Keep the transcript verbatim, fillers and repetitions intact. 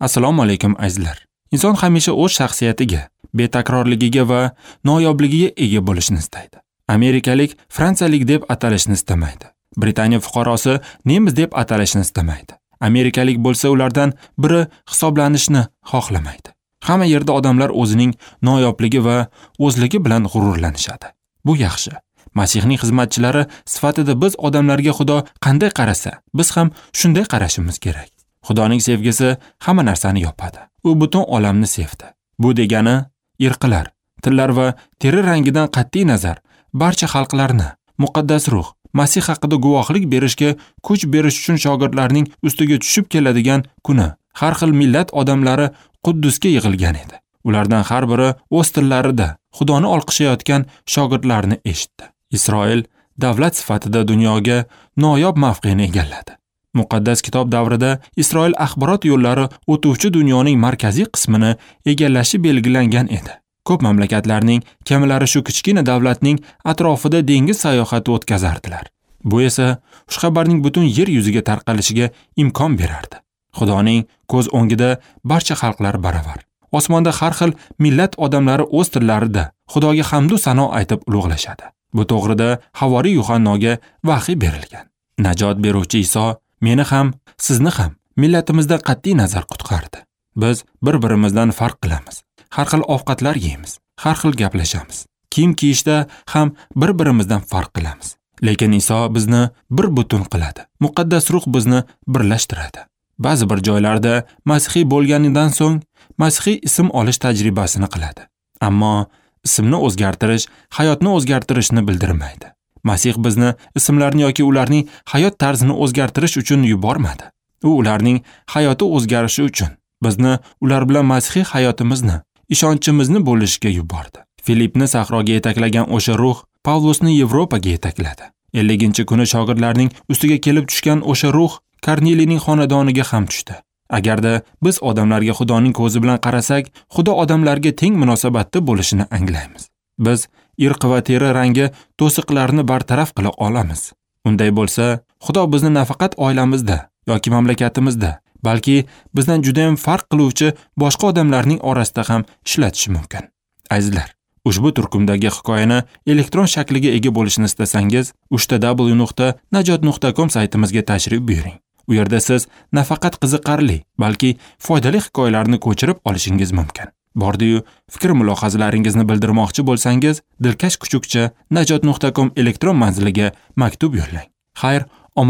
Assalomu alaykum azizlar. Inson hamisha o'z shaxsiyatiga, betakrorligiga va noyobligiga ega bo'lishni istaydi. Amerikalik fransiyalik deb atalishni istamaydi. Britaniya fuqarosi nemis deb atalishni istamaydi. Amerikalik bo'lsa ulardan biri hisoblanishni xohlamaydi. Hamma yerda odamlar o'zining noyobligi va o'zligi bilan g'ururlanishadi. Bu yaxshi. Masihning xizmatchilari sifatida biz odamlarga Xudo qanday qarasa, biz ham shunday qarashimiz kerak. Xudoning sevgisi hamma narsani yopadi. U butun olamni sevdi. Bu degani irqlar, tillar va teri rangidan qat'iy nazar barcha xalqlarni muqaddas ruh Masih haqida guvohlik berishga kuch berish uchun shogirdlarning ustiga tushib keladigan kuni har xil millat odamlari Quddusga yig'ilgan edi. Ulardan har biri o'z tillarida Xudoni olqishlayotgan shogirdlarni eshitdi. Isroil davlat sifatida dunyoga noyob mavqeni egalladi. Muqaddas kitob davrida Isroil axborot yo'llari o'tuvchi dunyoning markaziy qismini egallashi belgilangan edi. Ko'p mamlakatlarning kemalari shu kichkina davlatning atrofida dengiz sayohati o'tkazardilar. Bu esa xushxabarning butun yer yuziga tarqalishiga imkon berardi. Xudoning ko'z o'ngida barcha xalqlar baravar. Osmonda har xil millat odamlari o'z tillarida Xudoga hamd va sano aytib ulug'lashadi. Bu to'g'rida havoriy Yuhannoga vahiy berilgan. Najot beruvchi Iso meni ham, sizni ham millatimizdan qat'iy nazar qutqardi. Biz bir-birimizdan farq qilamiz. Har xil ovqatlar yeymiz, har xil gaplashamiz. Kiyim kiyishda ham bir-birimizdan farq qilamiz. Lekin Iso bizni bir butun qiladi. Muqaddas ruh bizni birlashtiradi. Ba'zi bir joylarda masihiy bo'lganidan so'ng masihiy ism olish tajribasini qiladi. Ammo ismni o'zgartirish hayotni o'zgartirishni bildirmaydi. Masih bizni ismlarni yoki ularning hayot tarzini o'zgartirish uchun yubormadi. U ularning hayoti o'zgarishi uchun bizni ular bilan masihiy hayotimizni, ishonchimizni bo'lishga yubordi. Filipni sahroga yetaklagan o'sha ruh Pavlusni Yevropaga yetakladi. elliginchi kuni shogirdlarning ustiga kelib tushgan o'sha ruh Korneliyning xonadoniga ham tushdi. Agarda biz odamlarga Xudoning ko'zi bilan qarasak, Xudo odamlarga teng munosabatda bo'lishini anglaymiz. Biz irq va teri rangi to'siqlarini bartaraf qila olamiz. Unday bo'lsa, Xudo bizni nafaqat oilamizda yoki mamlakatimizda, balki bizdan juda ham farq qiluvchi boshqa odamlarning orasida ham ishlatishi mumkin. Azizlar, ushbu turkumdagi hikoyani elektron shakliga ega bo'lishini istasangiz, uchta w nuqta najot nuqta com saytimizga tashrif buyuring. U yerda siz nafaqat qiziqarli, balki foydali hikoyalarni ko'chirib olishingiz mumkin. Bordi-yu, fikr mulohazalaringizni bildirmoqchi bo'lsangiz, dilkash kuchukcha najot nuqta com elektron manziliga maktub yo'llang. Xayr,